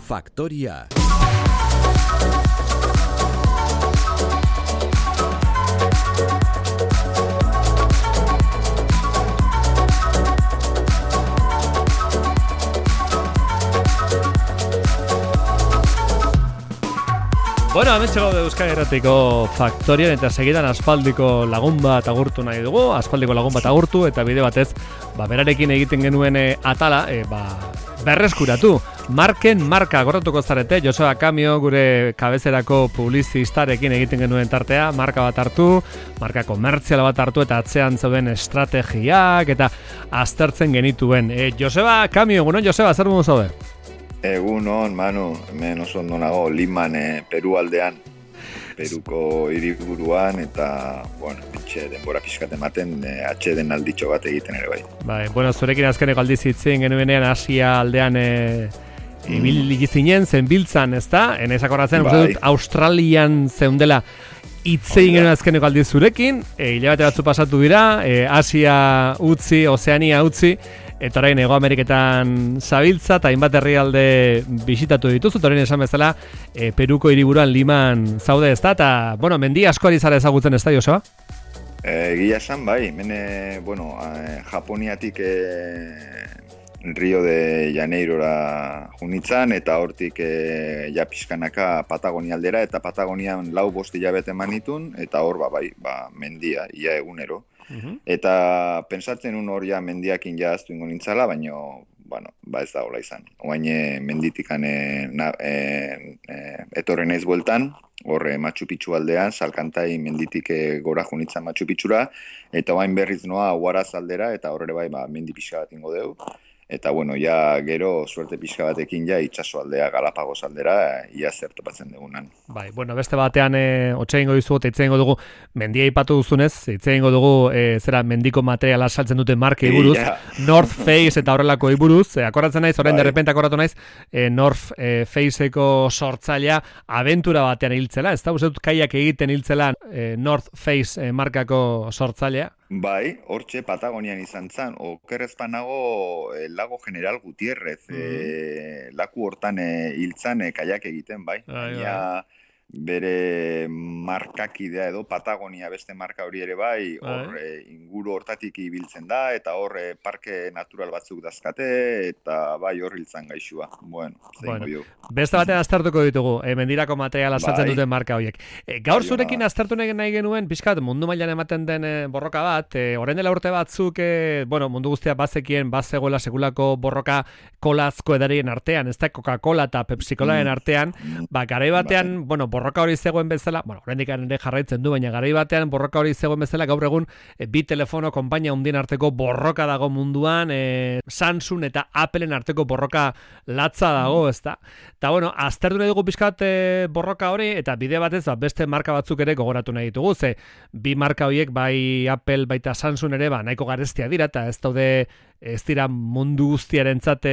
Faktoria. Bueno, hemen txego Euskal Herratiko Faktorian eta segidan aspaldiko lagun bat agurtu nahi dugu, aspaldiko lagun bat agurtu eta bide batez, berarekin egiten genuen atala, berreskuratu. Marken marka gorratuko zarete, Joseba Kamio gure kabezerako publizistarekin egiten genuen tartea, marka bat hartu, marka komertziala bat hartu eta atzean zeuden estrategiak eta aztertzen genituen. Joseba Kamio, egunon Joseba, zer dugu zaude? Egunon, Manu, hemen oso ondo nago, Liman, Peru aldean, Peruko hiriburuan eta, bueno, denbora pixkat ematen, atxeden alditxo bat egiten ere bai. Bai, bueno, zurekin azkeneko aldiz hitzen genuenean Asia aldean ibili zinen, zenbiltzan, ezta? Enezakorratzen, uste dut, Australian zeundela hitzein genuen azkeneko aldiz zurekin, hilabete batzu pasatu dira, Asia utzi, Ozeania utzi, eta orain Hego Ameriketan zabiltza eta hainbat herrialde bisitatu dituzu, eta orain esan bezala Peruko hiriburuan Liman zaude ezta, eta, bueno, mendi asko ari zara ezagutzen ezta, Joseba? Egia esan, bai, bueno, Japoniatik Rio de Janeirora junitzan, eta hortik ja pixkanaka Patagonia aldera, eta Patagonian 4-5 hilabete manitun, eta hor, mendia, ia egunero. Eta pentsatzen hor ja mendiakin ja aztu ingo nintzala, baina, bueno, ez da hola izan. Oain menditikan etorren naiz bueltan, hor Machu Picchu aldean, Salkantai menditik gora junitzan Machu Picchura, eta oain berriz noa Huaraz aldera, eta horre bai mendi pixka bat ingo deu. Eta, bueno, ja gero suerte pixka batekin ja itxaso aldea, Galapagos aldera, ia zer topatzen dugunan. Bai, bueno, beste batean hotxe egingo dizu, eta hitze egingo dugu, mendia ipatu duzunez, hitze egingo dugu, zera mendiko materiala saltzen dute markei buruz, North Face eta horrelako buruz, akoratzen naiz, orain derrepente akoratu naiz, North Faceko sortzailea abentura batean hiltzela, ez da, uste dut kaiak egiten hiltzela North Face markako sortzailea? Bai, hortxe Patagonian izan zan, okerrezpan nago Lago General Gutierrez, laku hortan hiltzan kaiak egiten, bai. Bere markakidea edo Patagonia beste marka hori ere bai, hor inguru hortatik ibiltzen da, eta hor parke natural batzuk dazkate, eta bai hor hiltzan gaixua. Bueno, beste batean aztertuko ditugu, mendirako materiala saltzen duten marka horiek. Gaur zurekin aztertu nahi genuen, pixkat mundu mailan ematen den borroka bat, orain dela urte batzuk, bueno, mundu guztia bazekien, bazegoela sekulako borroka kolazko edarien artean, ez da Coca-Cola eta Pepsi-Colaren artean, garai batean, bueno, borroka hori zegoen bezala, bueno, oraindik ere jarraitzen du, baina garai batean borroka hori zegoen bezala, gaur egun bi telefono konpainia handien arteko borroka dago munduan, Samsung eta Appleen arteko borroka latza dago, ezta? Eta, bueno, aztertu nahi dugu pixkat borroka hori, eta bide batez, beste marka batzuk ere gogoratu nahi ditugu, ze bi marka horiek, bai Apple, baita Samsung ere, nahiko garestia dira, eta ez dira mundu guztiarentzat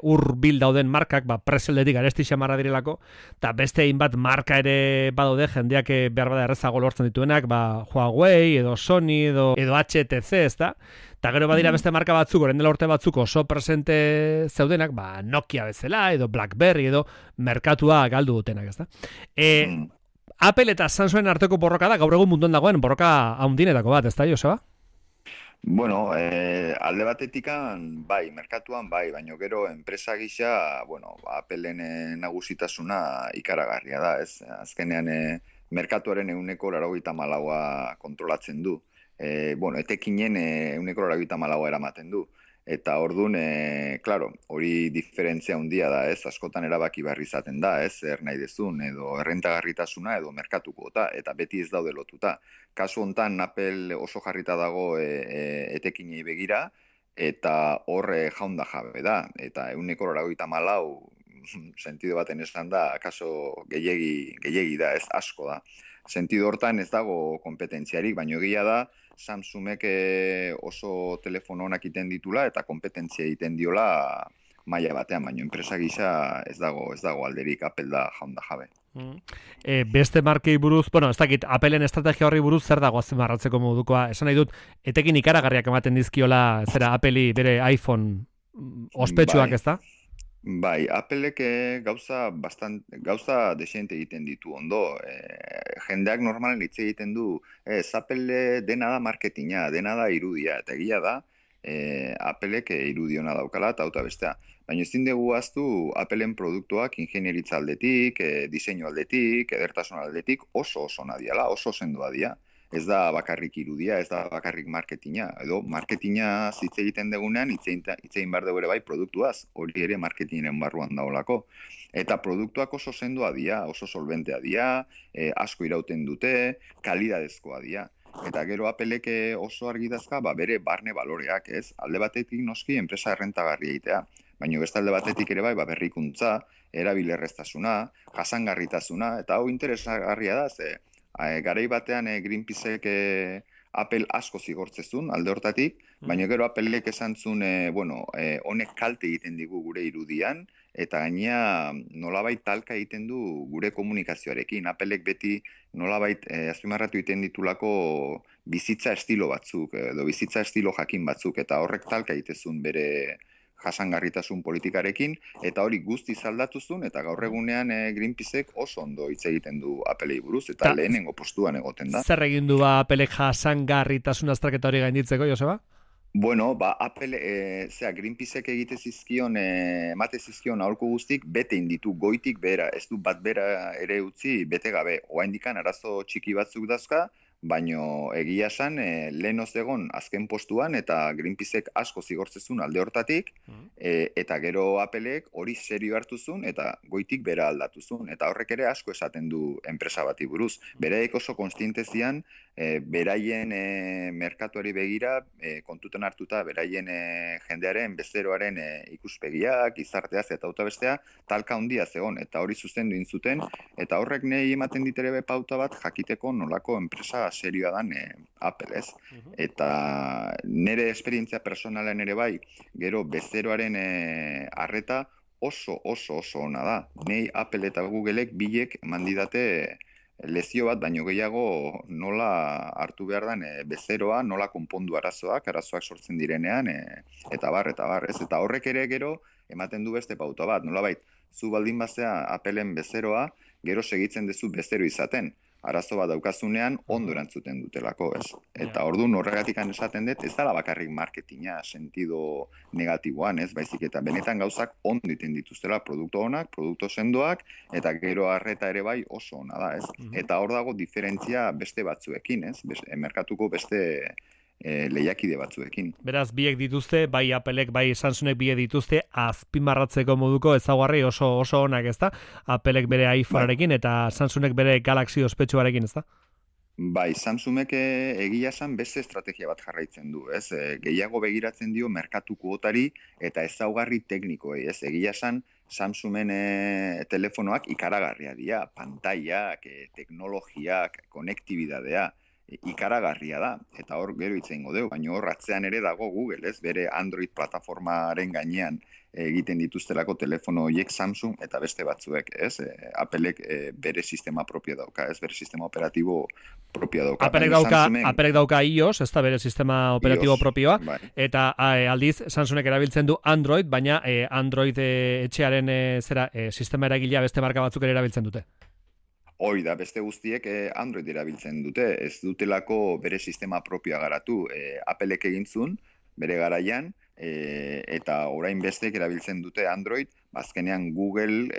hurbil dauden markak, preseldetik garesti xamarra direlako, eta beste hainbat marka ere badaude jendeak behar bada errezago lortzen dituenak, Huawei edo Sony edo HTC, ezta? Eta gero badira beste marka batzuk, orain dela urte batzuk oso presente zeudenak, Nokia bezala edo BlackBerry edo merkatua galdu dutenak, ezta? Apple eta Samsungen arteko borroka da, gaur egun munduan dagoen borroka handinetako bat, ezta, Joseba? Bueno, alde batetikan, bai, merkatuan, bai, baina gero enpresa gisa, bueno, Appleen nagusitasuna ikaragarria da, ez? Azkenean, merkatuaren 94% kontrolatzen du. Bueno, etekinen 94% eramaten du. Eta orduan, claro, hori diferentzia handia da, ez? Askotan erabaki behar izaten da, ez? Nahi dezun, edo errentagarritasuna, edo merkatuko, eta beti ez daude lotuta. Kasu hontan, Apple oso jarrita dago etekinei begira, eta hor jaunda jabe da. Eta 94% sentido baten esan da, kaso gehiegi da, ez asko da. Sentido hortan ez dago kompetentziarik, baina egia da, Samsungek oso telefono onak iten ditula eta kompetentzia egiten diola maila batean, baina enpresa gisa ez dago alderik, Apple da jaunda jabe. Beste markei buruz, bueno, ez dakit, Appleen estrategia horri buruz zer dago azpimarratzeko modukoa. Esan nahi dut, etekin ikaragarriak ematen dizkiola, zera Appleri bere iPhone ospetsuak, ez da? Bai, Applek gauza desente egiten ditu ondo. Jendeak normalen hitz egiten du, Apple dena da marketinga, dena da irudia, eta egia da, Applek irudiona daukala eta auta bestea. Baina ezin dugu ahaztu Appleen produktuak ingenieritza aldetik, diseinu aldetik, edertasun aldetik oso oso nadiala, oso sendoa dira. Ez da bakarrik irudia, ez da bakarrik marketinga. Edo marketinga hitz egiten degunean, hitz egin behar dugu ere bai produktuaz, hori ere marketingaren barruan daolako. Eta produktuak oso sendoa dira, oso solventea dira, asko irauten dute, kalidadezkoa dira. Eta gero Applek oso argi dazka, bere barne baloreak, ez? Alde batetik noski enpresa errentagarri egitea, baina beste alde batetik ere bai, berrikuntza, erabilerreztasuna, jasangarritasuna, eta hau interesgarria da, garai batean Greenpeacek Apple asko zigortzezun alde hortatik, baina gero Applek esan zuen, honek kalte egiten digu gure irudian, eta gainea nolabait talka egiten du gure komunikazioarekin. Applek beti nolabait azpimarratu egiten ditulako bizitza estilo batzuk, edo bizitza estilo jakin batzuk, eta horrek talka egitezun bere jasangarritasun politikarekin, eta hori guztiz aldatuzun, eta gaur egunean Greenpeacek oso ondo hitz egiten du Applei buruz, eta lehenengo postuan egoten da. Zer egin du Applek jasangarritasun azterketa hori gainditzeko, Joseba? Bueno, Apple, Greenpeacek emate zizkion aholku guztik, bete inditu goitik bera, ez du bat bera ere utzi, bete gabe, oraindikan arazo txiki batzuk dazka, baino egia esan lehen egon azken postuan eta Greenpeacek asko zigortzezun alde hortatik, eta gero Applek hori serio hartuzun eta goitik bera aldatuzun, eta horrek ere asko esaten du enpresa bati buruz. Bereek oso konstiente zian, beraien merkatuari begira, kontuten hartuta beraien jendearen, bezeroaren ikuspegiak, gizarteaz eta auta bestea, talka handia zegon, eta hori zuzendu intzuten, eta horrek nahi ematen ditere pauta bat jakiteko nolako enpresa serioa dan Apple, ez? Eta nire esperientzia personalen ere bai, gero bezeroaren arreta oso ona da. Nei Apple eta Googleek bilek mandidate lezio bat, baino gehiago nola hartu behar den bezeroa, nola konpondu arazoak sortzen direnean, eta bar, ez? Eta horrek ere gero ematen du beste pauta bat, nolabait, zu baldin bazea Appleen bezeroa, gero segitzen duzu bezero izaten. Arazo bat daukazunean ondo erantzuten dutelako, ez? Eta orduan horregatik esaten dut, ez dela bakarrik marketinga sentido negatiboan, ez? Baizik eta benetan gauzak ondo egiten dituztela, produktu onak, produktu sendoak, eta gero arreta ere bai oso ona da, ez? Eta hor dago diferentzia beste batzuekin, ez? Merkatuko beste lehiakide batzuekin. Beraz, biek dituzte, bai Applek, bai Samsungek biek dituzte azpimarratzeko moduko ezaguarri oso onak, ezta? Applek bere iPhonearekin eta Samsungek bere Galaxy ospetsuarekin, ezta? Bai, Samsungek egia esan beste estrategia bat jarraitzen du, ez? Gehiago begiratzen dio merkatu kuotari eta ezaugarri teknikoei, ez? Egia esan Samsungen telefonoak ikaragarria dira, pantailak, teknologiak, konektibidadea, ikaragarria da, eta hor gero hitz egingo dugu, baina hor atzean ere dago Google, ez? Bere Android plataformaren gainean egiten dituztelako telefono horiek Samsung eta beste batzuek, ez? Applek bere sistema propio dauka, ez? Bere sistema operatibo propio dauka. Applek dauka iOS, ez da bere sistema operatibo propioa, eta aldiz Samsungek erabiltzen du Android, baina Android etxearen sistema eragilea beste marka batzuk ere erabiltzen dute. Hoi da, beste guztiek Android erabiltzen dute, ez dutelako bere sistema propioa garatu. Applek egintzun, bere garaian, eta orain bestek erabiltzen dute Android, bazkenean Google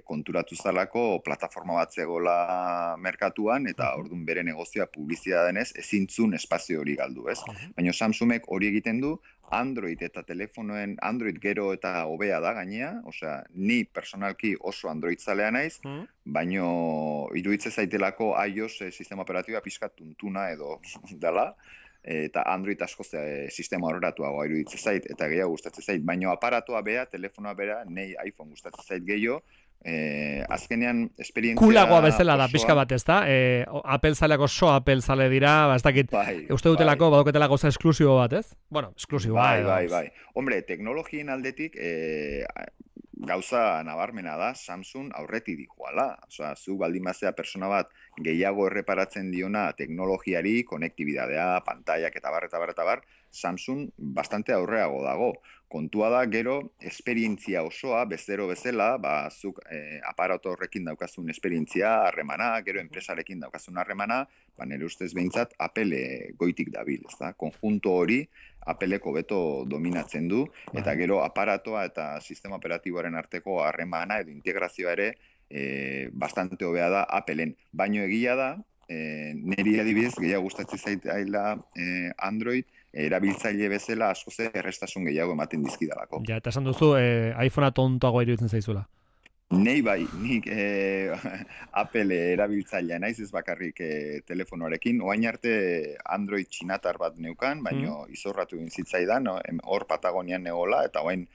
konturatu zalako plataforma bat zegoela merkatuan, eta orduan bere negozioa publizitatea denez, ezintzun espazio hori galdu, ez? Baina Samsungek hori egiten du, Android eta telefonoen Android gero eta hobea da gainea, osea, ni personalki oso Android zalea naiz, baino iruditze zaitelako iOS sistema operatiboa pixkat tuntuna edo dela, eta Android asko sistema horrelatuagoa iruditze zait, eta gehiago gustatzen zait, baino aparatoa bea, telefonoa bera, nei iPhone gustatzen zait gehiago, azkenean esperientzia kulagoa bezala da pixka bat, ez da? Apple zaleak oso Apple zale dira, ez dakit, uste dutelako, baduketela gauza esklusibo bat, ez? Bueno, esklusibo. Bai. Hombre, teknologien aldetik gauza nabarmena da, Samsung aurretik dijoala. Osea, zu baldin bazea persona bat gehiago erreparatzen diona teknologiari, konektibidadea, pantaiak eta bar, Samsung bastante aurreago dago. kontua da, gero, esperientzia osoa, bezero bezala, zuk aparato horrekin daukazun esperientzia, harremana, gero enpresarekin daukazun harremana, nire ustez behintzat, Apple goitik dabil, ez da? Konjunto hori, Appleko beto dominatzen du, eta gero aparatoa eta sistema operatiboaren arteko harremana edo integrazioa ere bastante hobea da Appleen. Baino egia da, niri adibidez, gehiago gustatzen zaitaila Android, erabiltzaile bezala asko ze errestasun gehiago ematen dizkidalako. Ja, eta esan duzu, iPhonea tontoagoa iruditzen zaizula. Nei bai, nik Apple erabiltzailea naiz ez bakarrik telefonoarekin, oain arte Android txinatar bat neukan, baino izorratu egin zitzaidan, hor Patagonian negola, eta oain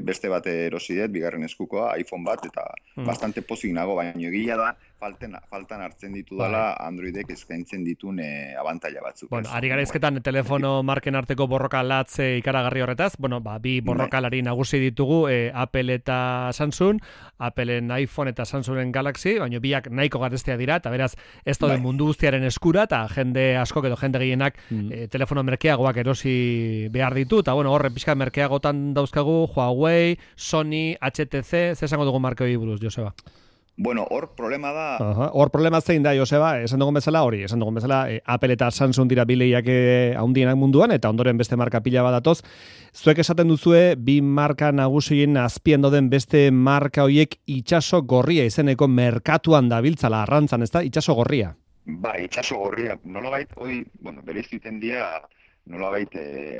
beste bat erosi dut, bigarren eskukoa, iPhone bat, eta bastante pozik nago, baino egia da, faltan hartzen ditu dela Androidek eskaintzen ditun abantaila batzuk. Bueno, ari gara izketan telefono marken arteko borroka latze ikaragarri horretaz, bueno, bi borrokalari nagusi ditugu, Apple eta Samsung, Appleen iPhone eta Samsungen Galaxy, baina biak nahiko garestea dira, eta beraz, ez daude mundu guztiaren eskura, eta jende askok edo jende gehienak telefono merkeagoak erosi behar ditu, eta bueno, horre pixka merkeagotan dauzkagu, Huawei, Sony, HTC, ze esango dugu marke hori buruz, Joseba? Bueno, hor problema da... Hor problema zein da, Joseba, esan dugun bezala, Apple eta Samsung dira bileiak handienak munduan, eta ondoren beste marka pila badatoz. Zuek esaten duzue, bi marka nagusien azpian doden beste marka hoiek itxaso gorria izeneko merkatuan dabiltzala arrantzan, ez da? Itxaso gorria. Ba, itxaso gorria. Nolabait, berez duten dia, nolabait,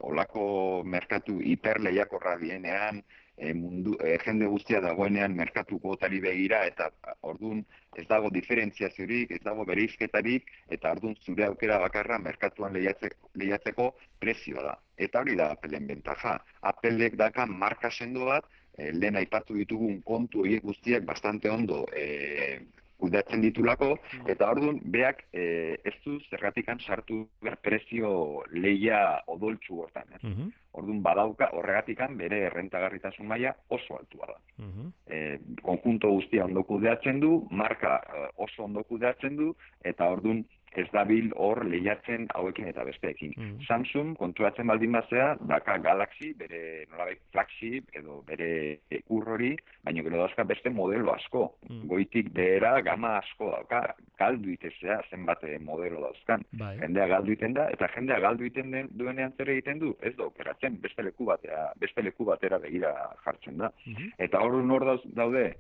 olako merkatu hiperleiakorra dienean, jende guztia dagoenean merkatu kuotari begira, eta orduan ez dago diferentziaziorik, ez dago bereizketarik, eta orduan zure aukera bakarra merkatuan lehiatzeko prezioa da. Eta hori da Appleen bentaja. Appleek daka marka sendo bat, lehen aipatu ditugun kontu horiek guztiak bastante ondo kudeatzen ditulako, eta orduan beak ez du zergatikan sartu prezio lehia odoltsu hortan. Orduan badauka horregatikan bere errentagarritasun maila oso altua da. Konjunto guztia ondo kudeatzen du, marka oso ondo kudeatzen du, eta orduan ez dabil hor lehiatzen hauekin eta besteekin. Samsung konturatzen baldin bazea, daka Galaxy, bere nolabait flagship edo bere urrori, baina gero dauzka beste modelo asko. Goitik behera gama asko dauka, galdu itezea zenbat modelo dauzkan. Jendea galdu iten da, eta jendea galdu iten duenean zer egiten du, ez da okeratzen, beste leku batera begira jartzen da. Eta hor daude,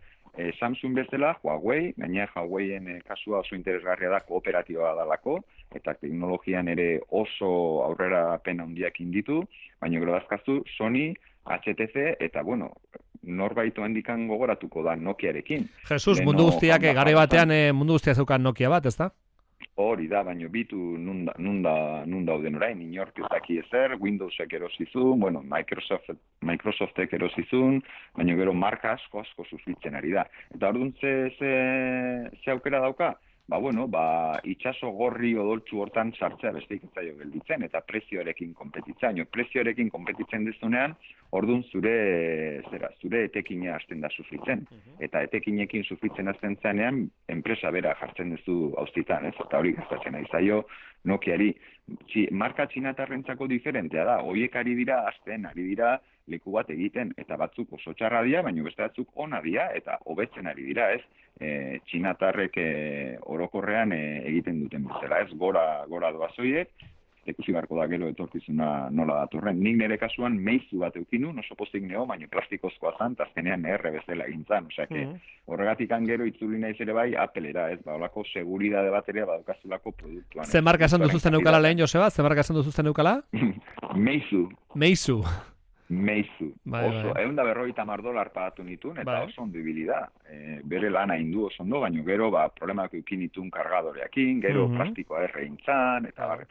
Samsung bezala, Huawei, gainera Huaweien kasua oso interesgarria da, kooperatiboa dalako, eta teknologian ere oso aurrerapen handiak inditu, baina gero dazkazu Sony, HTC, eta bueno, norbait handikan gogoratuko da Nokiarekin. Jesus, mundu guztiak, gare batean mundu guztia zeukan Nokia bat, ezta? Hori da, baina bitu nun dauden orain, inork ez daki ezer, Windowsek erosizun, bueno, Microsoftek erosizun, baina gero marka asko sufritzen ari da. Eta orduan ze aukera dauka? Itxaso gorri odoltsu hortan sartzea besteik ez zaio gelditzen, eta prezioarekin konpetitzen. Prezioarekin konpetitzen dezunean, orduan zure etekina hasten da sufritzen. Eta etekinekin sufritzen hasten zanean, enpresa bera jartzen duzu auzitan, ez? Eta hori gastatzen ari zaio Nokiari. Marka txinatarrentzako diferentea da, horiek ari dira leku bat egiten, eta batzuk oso txarra dira, baina beste batzuk ona dira, eta hobetzen ari dira, ez? Txinatarrek orokorrean egiten duten bezala, ez? Gora doazoiek, ikusi beharko da gero etorkizuna nola datorren. Nik nire kasuan meizu bat eukinu, oso pozik neo, baina plastikozkoa zan, eta azkenean erre bezala egintzan. Horregatik gero itzuli naiz ere bai Applera, ez? Olako seguridade bat ere badaukazulako produktuan. Ze marka esan duzuzten eukala lehen, Joseba? Ze marka esan duzuzten eukala? Meizu. Oso, $150 pagatu nitun, eta oso ondo ibili da. Bere lana indu oso ondo, baina gero problemak eukin nitun kargadoreakin, gero plastikoa erreintzan, eta bar.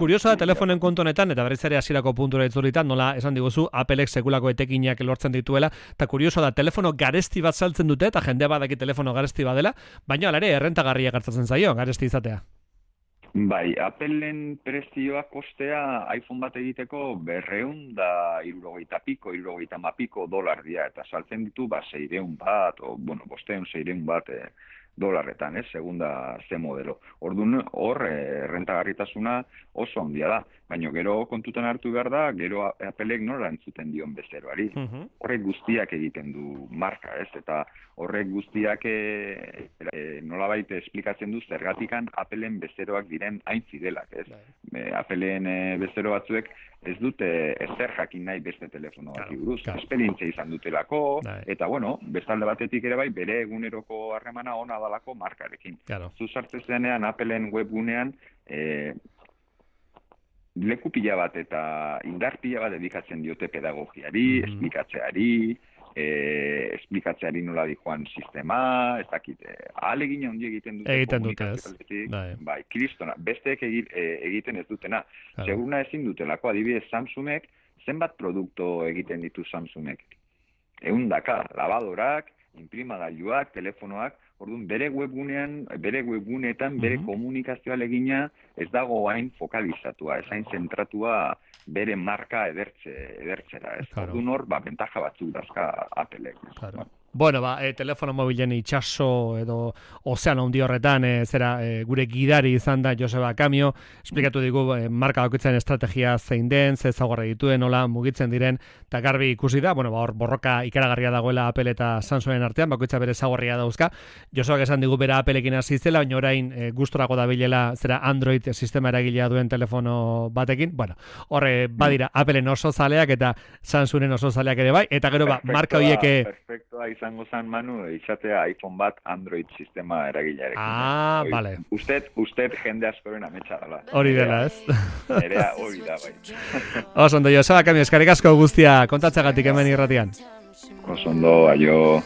Kurioso da telefonen kontu honetan, eta berriz ere hasierako puntura itzulitan, nola esan diguzu, Applek sekulako etekinak lortzen dituela, eta kurioso da, telefono garesti bat saltzen dute, eta jendea badaki telefono garesti badela, baina alare errentagarria gertatzen zaio, garesti izatea. Bai, Appleen prezioa kostea iPhone bat egiteko $260 $250 dolar dira, eta saltzen ditu $600 bat, o, 500 $600 bat $, segunda ze modelo. Orduan hor rentagarritasuna oso handia da, baina gero kontutan hartu behar da, gero Applek nola entzuten dion bezeroari. Horrek guztiak egiten du marka, ez? Eta horrek guztiak nolabait esplikatzen du zergatikan Appleen bezeroak diren hain fidelak, ez? Appleen bezero batzuek ez dute ezer jakin nahi beste telefono bati buruz. Esperientzia izan dutelako, eta bueno, bestalde batetik ere bai, bere eguneroko harremana ona dalako markarekin. Zu sartzen zenean Appleen webgunean, leku pila bat eta indar pila bat dedikatzen diote pedagogiari, esplikatzeari nola dijoan sistema, ez dakit, ahalegina hundi egiten dute. Bai, kristona, besteek egiten ez dutena. Seguruna ezin dutelako, adibidez Samsungek, zenbat produktu egiten ditu Samsungek? 100, lavadorak, imprimagailuak, telefonoak, orduan bere webguneetan, bere komunikazioa egina ez dago hain fokalizatua, ez hain zentratua bere marka edertzera, ez? Orduan hor, bentaja batzuk dazka Applek. Bueno, telefono mobilen itxaso edo ozeano handi horretan, gure gidari izan da Joseba Kamio, esplikatu digu marka bakoitzaren estrategia zein den, ze ezaugarri dituen, nola mugitzen diren, eta garbi ikusi da, hor borroka ikaragarria dagoela Apple eta Samsungen artean, bakoitza bere ezaugarria dauzka. Josebak esan digu bera Appleekin hasi zela, baina orain gustorako dabilela Android sistema eragilea duen telefono batekin. Bueno, horre badira Appleen oso zaleak eta Samsungen oso zaleak ere bai, eta gero marka horiek perfectoa izango zan, Manu, izatea iPhone bat Android sistema eragilearekin. Vale. Usted jende askoren ametsa dela. Hori dela, ez? Nerea hori da, bai. Oso ondo, Joseba Kamio, eskerrik asko guztia kontatzagatik hemen irratian. Oso ondo, aio.